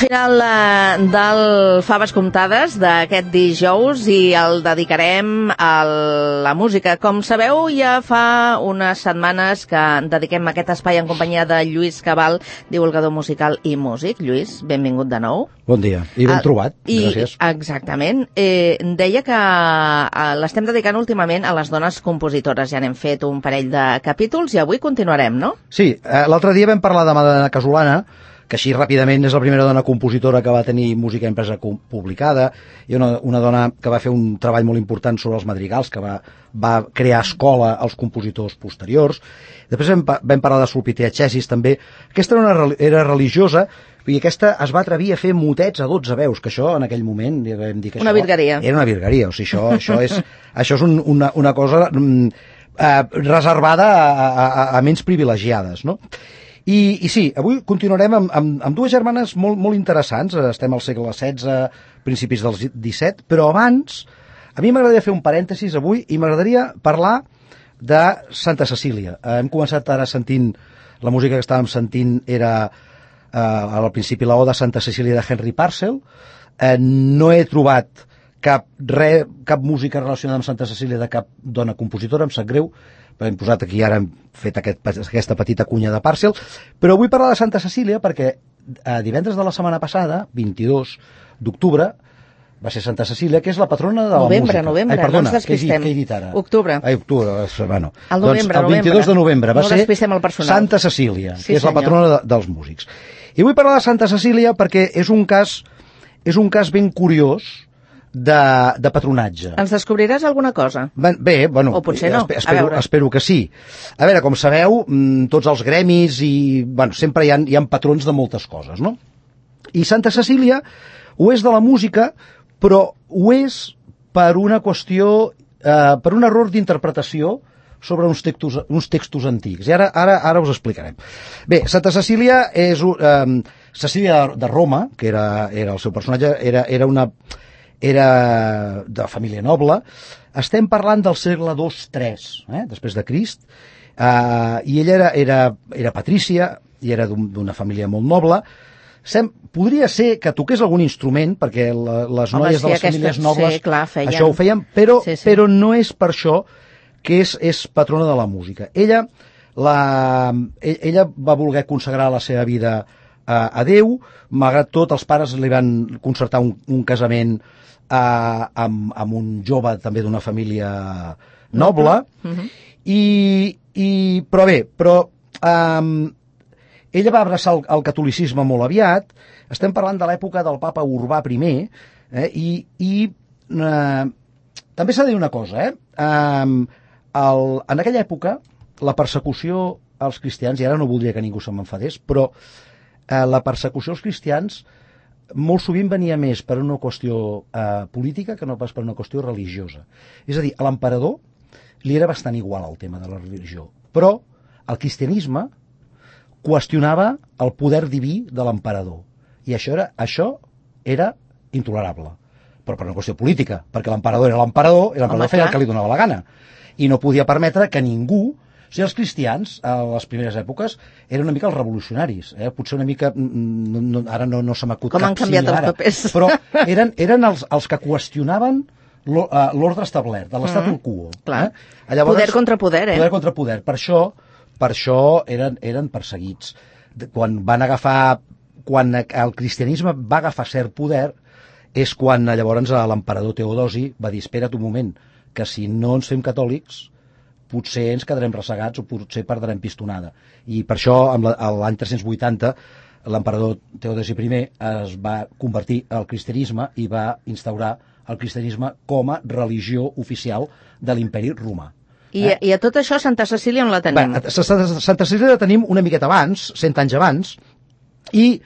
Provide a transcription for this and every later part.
final del Faves Comptades d'aquest dijous i el dedicarem a la música. Com sabeu, ja fa unes setmanes que dediquem aquest espai en companyia de Lluís Cabal, divulgador musical i músic. Lluís, benvingut de nou. Bon dia, i ben trobat, gràcies. Exactament. Deia que l'estem dedicant últimament a les dones compositores. Ja n'hem fet un parell de capítols i avui continuarem, no? Sí, l'altre dia vam parlar de Madalena Casolana, que així ràpidament és la primera dona compositora que va tenir música impresa publicada, i una dona que va fer un treball molt important sobre els madrigals, que va crear escola als compositors posteriors. Després vam parlar de Sulpitea Chessis, també. Aquesta era religiosa, i aquesta es va atrevir a fer motets a 12 veus, que això en aquell moment vam dir que una virgueria. Era una virgueria, o sigui, això és una cosa reservada a ments privilegiades, no? I sí, avui continuarem amb dues germanes molt interessants. Estem al segle XVI, principis del XVII, però abans a mi m'agradaria fer un parèntesis avui i m'agradaria parlar de Santa Cecília. Hem començat ara sentint, la música que estàvem sentint era al principi la Oda Santa Cecília de Henry Purcell. No he trobat cap música relacionada amb Santa Cecília de cap dona compositora, em sap greu, hem posat aquí, ara hem fet aquesta petita cunya de Purcell, però vull parlar de Santa Cecília perquè divendres de la setmana passada, 22 d'octubre, va ser Santa Cecília, que és la patrona de la música. Novembre, perdona, no ens despistem. Què he dit ara? Octubre. Octubre, bueno. El novembre, doncs el 22 de novembre va ser Santa Cecília, sí, que és la patrona dels músics. I vull parlar de Santa Cecília perquè és un cas ben curiós de patronatge. Ens descobriràs alguna cosa? Bé, bueno, o potser no. Espero que sí. A veure, com sabeu, tots els gremis sempre hi ha patrons de moltes coses, no? I Santa Cecília ho és de la música, però ho és per una qüestió, per un error d'interpretació sobre uns textos antics. I ara us explicarem. Bé, Santa Cecília és Cecília de Roma, que era el seu personatge, era de família noble. Estem parlant del segle II-III, després de Crist, i ella era patrícia i era d'una família molt noble. Podria ser que toqués algun instrument, perquè les noies de les famílies nobles això ho feien, però no és per això que és patrona de la música. Ella va voler consagrar la seva vida a Déu. Malgrat tot, els pares li van concertar un casament amb un jove també d'una família noble. Però ella va abraçar el catolicisme molt aviat. Estem parlant de l'època del papa Urbà I, també s'ha de dir una cosa, en aquella època la persecució als cristians, i ara no voldria que ningú se m'enfadés, però la persecució als cristians molt sovint venia més per una qüestió política que no pas per una qüestió religiosa. És a dir, a l'emperador li era bastant igual el tema de la religió, però el cristianisme qüestionava el poder diví de l'emperador, i això era intolerable, però per una qüestió política, perquè l'emperador era l'emperador i l'emperador feia el que li donava la gana, i no podia permetre que ningú. O sigui, els cristians, a les primeres èpoques, eren una mica els revolucionaris. Potser una mica, ara no se m'acut cap similar, els papers. Però eren els que qüestionaven l'ordre establert, de l'statu quo. Llavors, poder contra poder, Poder contra poder. Per això eren perseguits. Quan el cristianisme va agafar cert poder, és quan llavors l'emperador Teodosi va dir: espera't un moment, que si no ens fem catòlics potser ens quedarem ressegats o potser perdrem pistonada. I per això, l'any 380, l'emperador Teodosi I es va convertir al cristianisme i va instaurar el cristianisme com a religió oficial de l'imperi romà. I a tot això, Santa Cecília on la tenim? Santa Cecília la tenim una miqueta abans, 100 anys abans, i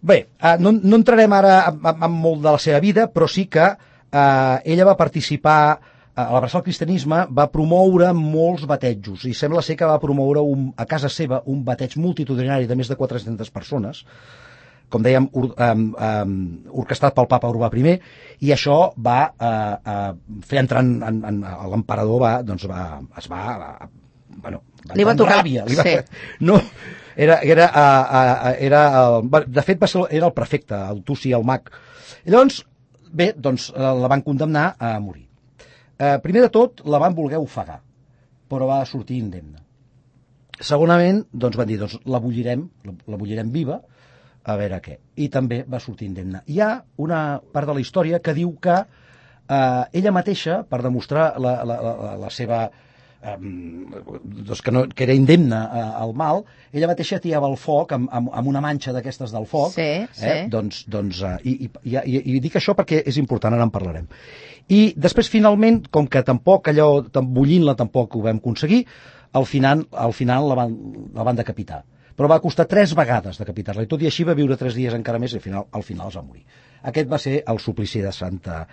bé, no entrarem ara en molt de la seva vida, però sí que ella va participar. A l'abraçar el cristianisme va promoure molts batejos, i sembla ser que va promoure a casa seva un bateig multitudinari de més de 400 persones, com dèiem, orquestrat pel papa Urbà I, i això va fer entrar l'emperador, li va tocar ràbia. De fet, era el prefecte, el Tuci, el mag. I llavors, bé, doncs la van condemnar a morir. Primer de tot, la van voler ofegar, però va sortir indemne. Segonament, doncs van dir, doncs la bullirem viva, a veure què. I també va sortir indemne. Hi ha una part de la història que diu que ella mateixa, per demostrar la seva... doncs que era indemne al mal, ella mateixa tirava el foc amb una manxa d'aquestes del foc. Sí. I dic això perquè és important, ara en parlarem. I després, finalment, com que tampoc allò, bullint-la tampoc ho vam aconseguir, al final la van decapitar. Però va costar 3 vegades decapitar-la, i tot i així va viure 3 dies encara més, i al final es va morir. Aquest va ser el suplici de Santa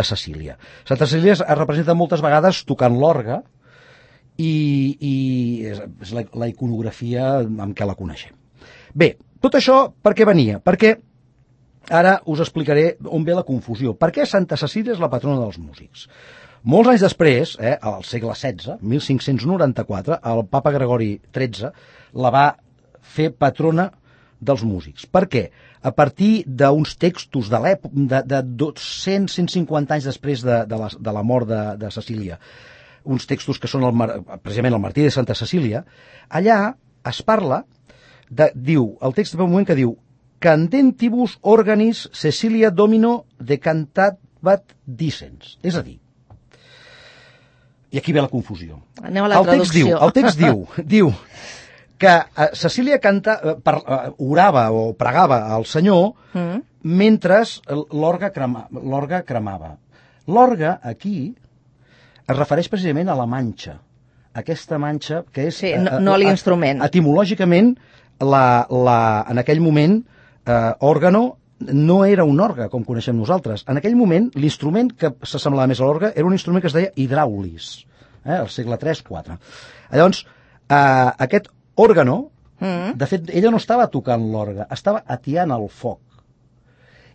Cecília. Santa Cecília es representa moltes vegades tocant l'orgue, i és la iconografia amb què la coneixem. Bé, tot això per què venia? Perquè ara us explicaré on ve la confusió. Per què Santa Cecília és la patrona dels músics? Molts anys després, al segle XVI, 1594, el papa Gregori XIII la va fer patrona dels músics. Per què? A partir d'uns textos de l'època, de 200-150 anys després de la mort de Cecília, uns textos que són precisament el martiri de Santa Cecília, allà es parla, diu, el text ve un moment que diu Candentibus organis Cecilia Domino decantabat dicens. És a dir, i aquí ve la confusió. Anem a la traducció. El text diu que Cecília orava o pregava al Senyor mentre l'orgue cremava. L'orgue aquí es refereix precisament a la manxa. Aquesta manxa que és... Sí, no a l'instrument. Etimològicament, en aquell moment, òrgano no era un orgue, com coneixem nosaltres. En aquell moment, l'instrument que s'assemblava més a l'orgue era un instrument que es deia hidràulis, al segle III-IV. Llavors, aquest òrgano, de fet, ella no estava tocant l'orgue, estava atiant el foc.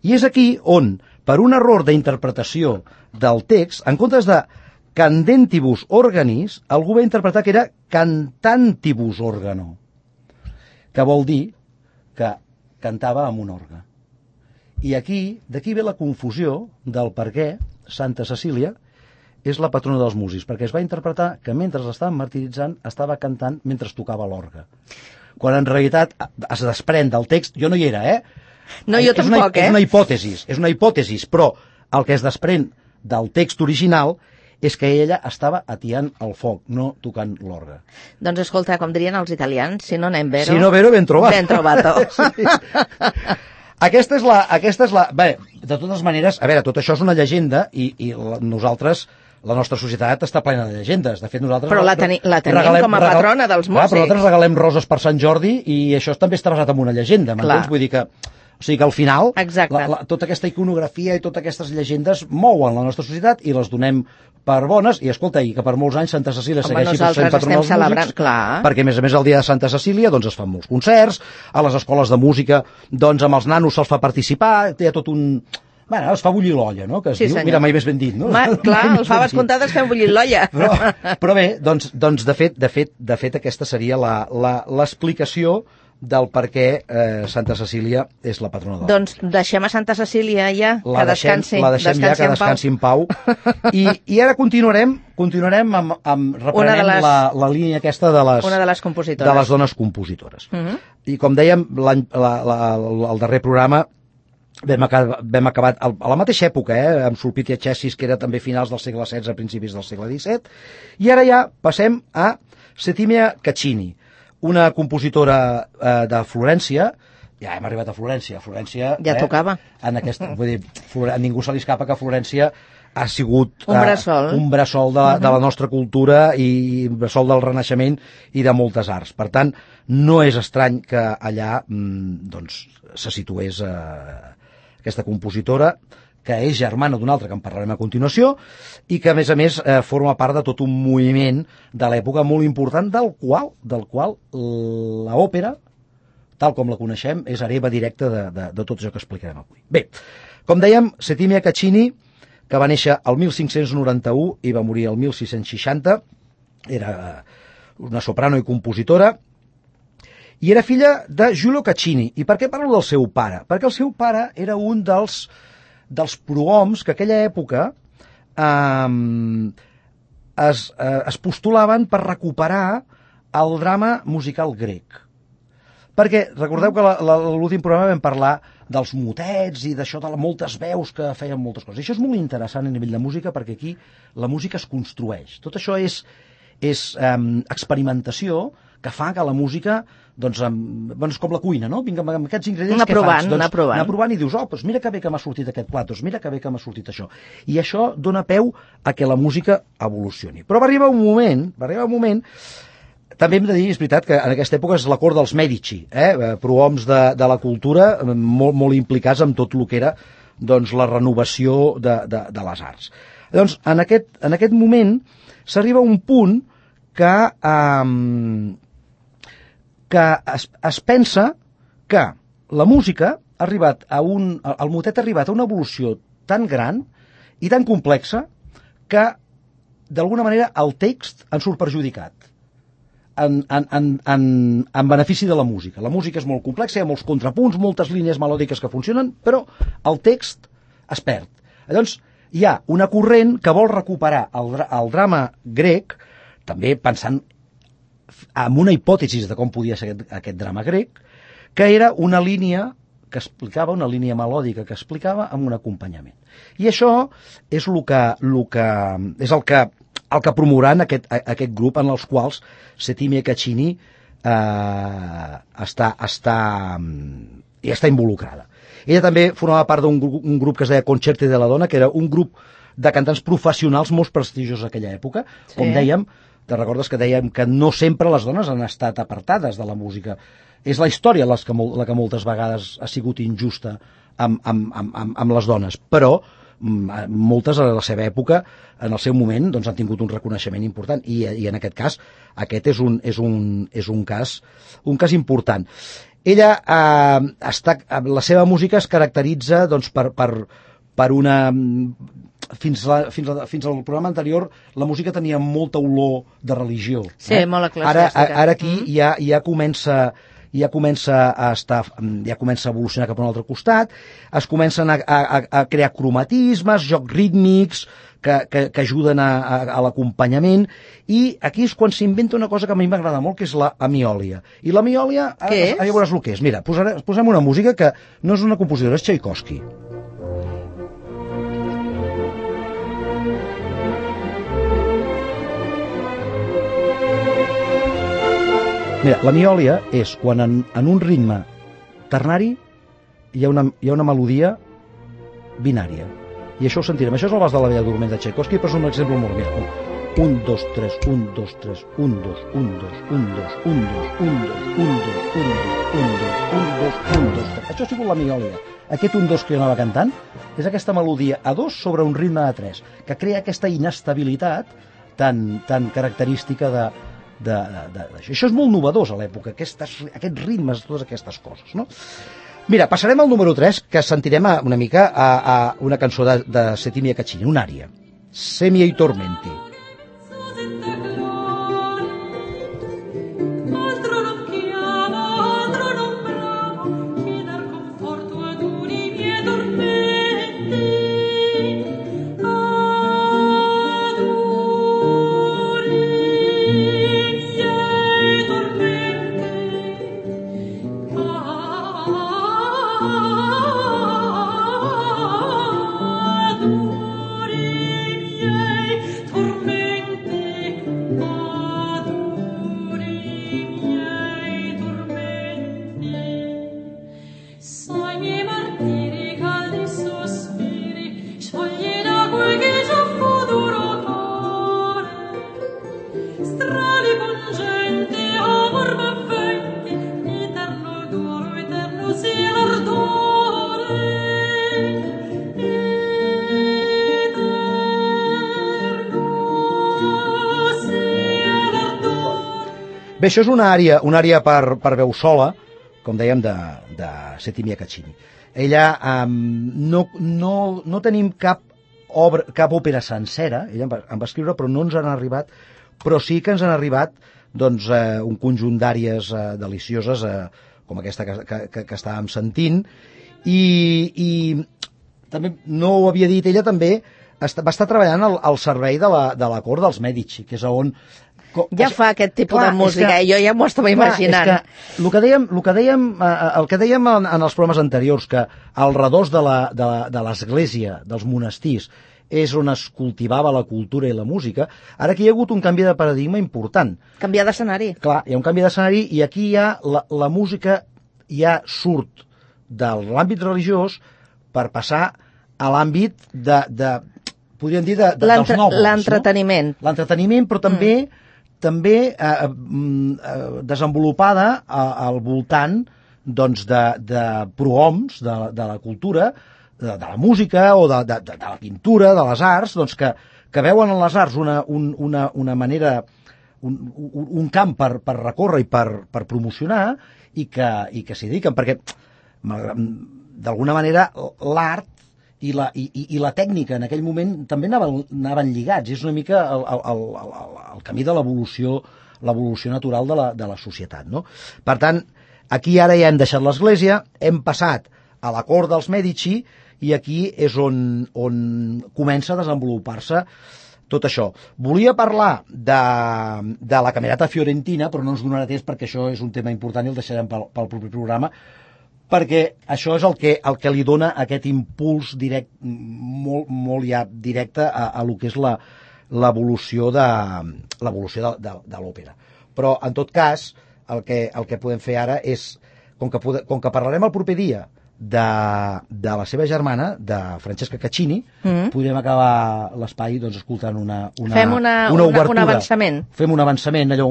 I és aquí on, per un error d'interpretació del text, en comptes de candentibus organis, algú va interpretar que era cantantibus organo, que vol dir que cantava amb un orgue. I d'aquí ve la confusió del per què Santa Cecília és la patrona dels músics, perquè es va interpretar que mentre l'estaven martiritzant estava cantant mentre tocava l'orgue. Quan en realitat es desprèn del text, jo no hi era, No, jo tampoc, És una hipòtesi, però el que es desprèn del text original és que ella estava atiant el foc, no tocant l'orgue. Doncs escolta, com dirien els italians, si no anem vero... Si no vero, ben trobat. Ben trobato. Sí. Aquesta és la... Bé, de totes maneres, a veure, tot això és una llegenda i nosaltres, la nostra societat està plena de llegendes. De fet, nosaltres... Però la tenim com a patrona dels músics. Però nosaltres regalem roses per Sant Jordi i això també està basat en una llegenda, m'entens? Vull dir que... O sigui que al final, tota aquesta iconografia i totes aquestes llegendes mouen la nostra societat i les donem per bones, i escolta, i que per molts anys Santa Cecília segueixi sent patrona dels músics, perquè a més el dia de Santa Cecília doncs es fan molts concerts, a les escoles de música doncs amb els nanos se'ls fa participar, té tot un... Bueno, es fa bullir l'olla, no? Que es diu, mira, mai més ben dit, no? Clar, el faves comptades fem bullir l'olla. Però bé, doncs de fet aquesta seria l'explicació del per què Santa Cecília és la patrona del... Doncs deixem a Santa Cecília ja, que descansi en pau. I ara continuarem reprenem la línia aquesta de les compositores. De les dones compositores. I com dèiem, el darrer programa vam acabat a la mateixa època, amb Sulpicia Cencis, que era també finals del segle XVI, principis del segle XVII, i ara ja passem a Settimia Caccini, una compositora de Florència. Ja hem arribat a Florència. Ja tocava. Vull dir, a ningú se li escapa que Florència ha sigut un bressol de la nostra cultura i un bressol del Renaixement i de moltes arts. Per tant, no és estrany que allà doncs, se situés aquesta compositora, que és germana d'una altra, que en parlarem a continuació, i que, a més, forma part de tot un moviment de l'època molt important, del qual l'òpera, tal com la coneixem, és hereva directa de tot això que explicarem avui. Bé, com dèiem, Settimia Caccini, que va néixer el 1591 i va morir el 1660, era una soprano i compositora, I era filla de Giulio Caccini. I per què parlo del seu pare? Perquè el seu pare era un dels prohoms que a aquella època es postulaven per recuperar el drama musical grec. Perquè recordeu que l'últim programa vam parlar dels motets i d'això de moltes veus que feien moltes coses. I això és molt interessant a nivell de música perquè aquí la música es construeix. Tot això és experimentació que fa que la música, doncs, és com la cuina, no? Vinga, amb aquests ingredients què faig? Doncs, anar provant i dius, doncs mira que bé que m'ha sortit aquest plat, doncs mira que bé que m'ha sortit això. I això dona peu a que la música evolucioni. Però va arribar un moment. També hem de dir, és veritat, que en aquesta època és la cort dels Mèdici, prohoms de la cultura, molt, molt implicats en tot el que era doncs, la renovació de les arts. Llavors, en aquest moment s'arriba a un punt que es pensa que la música ha arribat el motet ha arribat a una evolució tan gran i tan complexa que, d'alguna manera, el text en surt perjudicat. En benefici de la música. La música és molt complexa, hi ha molts contrapunts, moltes línies melòdiques que funcionen, però el text es perd. Llavors, hi ha una corrent que vol recuperar el drama grec, també pensant en una hipòtesi de com podia ser aquest drama grec, que era una línia que explicava, una línia melòdica que explicava amb un acompanyament. I això és el que promoran aquest grup en els quals Settimia Caccini està involucrada. Ella també formava part d'un grup que es deia Concerti de la Dona, que era un grup de cantants professionals molt prestigiosos d'aquella època. Sí. Com dèiem, te recordes que dèiem que no sempre les dones han estat apartades de la música. És la història la que moltes vegades ha sigut injusta amb les dones, però moltes a la seva època, en el seu moment, doncs, han tingut un reconeixement important i en aquest cas, aquest és un cas important. Ella la seva música es caracteritza doncs, per una... Fins al programa anterior la música tenia molta olor de religió. Sí, molt eclesiàstica. Ara aquí ja comença a evolucionar cap a un altre costat, es comencen a crear cromatismes, jocs rítmics que ajuden a l'acompanyament, i aquí és quan s'inventa una cosa que a mi m'agrada molt, que és la amiòlia. I l'amiòlia, ja veuràs el que és. Mira, posem una música que no és una compositora, és Tchaikovsky. Mira, la miòlia és quan en un ritme ternari hi ha una melodia binària. I això ho sentirem. Això és el Vals de la Bella Dorment de Tchaikovsky, però és un exemple molt bé. 1, 2, 3, 1, 2, 3, 1, 2, 1, 2, 1, 2, 1, 2, 1, 2, 1, 2, 1, 2, 1, 2, 1, 2, 3. Això ha sigut la miòlia. Aquest 1, 2 que jo anava cantant és aquesta melodia a 2 sobre un ritme de 3, que crea aquesta inestabilitat tan característica d'això. Això és molt novedós a l'època, aquests ritmes, totes aquestes coses, no? Mira, passarem al número 3, que sentirem una mica a una cançó de Settimia Caccini, un ària, Se miei tormenti. Bé, això és una àrea per veu sola, com dèiem, de Settimia Caccini. Ella no tenim cap òpera sencera, ella en va escriure, però no ens han arribat, però sí que ens han arribat doncs, un conjunt d'àries delicioses, com aquesta que estàvem sentint, i també, no ho havia dit, ella també va estar treballant al servei de la cort dels Mèdici, que és on... Ja fa aquest tipus de música, jo ja m'ho estava imaginant. És que el que dèiem en els programes anteriors, que al redós de l'església, dels monestirs, és on es cultivava la cultura i la música, ara aquí hi ha hagut un canvi de paradigma important. Canviar d'escenari. Clar, hi ha un canvi d'escenari i aquí ja la música ja surt de l'àmbit religiós per passar a l'àmbit podríem dir, dels nobles. L'entreteniment. No? L'entreteniment, però també desenvolupada al voltant doncs, de prohoms de la cultura, de la música o de la pintura, de les arts, doncs, que veuen en les arts una manera, un camp per recórrer i per promocionar i que s'hi dediquen, perquè d'alguna manera l'art i la tècnica en aquell moment també anaven lligats. És una mica el camí de l'evolució natural de la societat. No? Per tant, aquí ara ja hem deixat l'església, hem passat a la cort dels Mèdici i aquí és on comença a desenvolupar-se tot això. Volia parlar de la Camerata Fiorentina, però no ens donarà temps perquè això és un tema important i el deixarem pel proper programa, perquè això és el que li dona aquest impuls directe, molt ja directe a lo que és l'evolució de l'òpera. Però, en tot cas, el que podem fer ara és, com que parlarem el proper dia de la seva germana, de Francesca Caccini, podrem acabar l'espai doncs, escoltant una obertura. Un avançament. Fem un avançament, allò,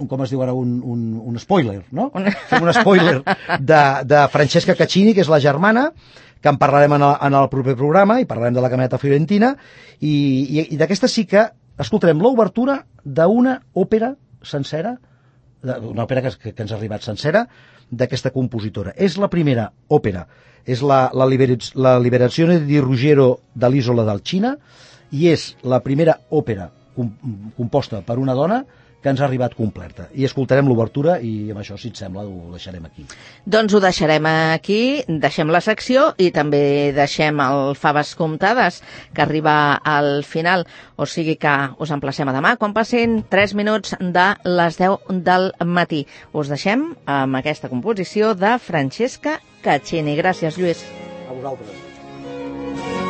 com es diu ara, un spoiler, no? Fem un spoiler de Francesca Caccini, que és la germana, que en parlarem en el proper programa, i parlarem de la Camerata Fiorentina, i d'aquesta sí que escoltarem l'obertura d'una òpera sencera, una òpera que ens ha arribat sencera, d'aquesta compositora. És la primera òpera, és la Liberazione di Ruggiero dall'Isola del Cina, i és la primera òpera composta per una dona que ens ha arribat completa. I escoltarem l'obertura i amb això, si et sembla, ho deixarem aquí. Doncs ho deixarem aquí, deixem la secció i també deixem el Faves Comptades, que arriba al final. O sigui que us emplacem a demà, quan passin 3 minuts de les 10 del matí. Us deixem amb aquesta composició de Francesca Caccini. Gràcies, Lluís. A vosaltres.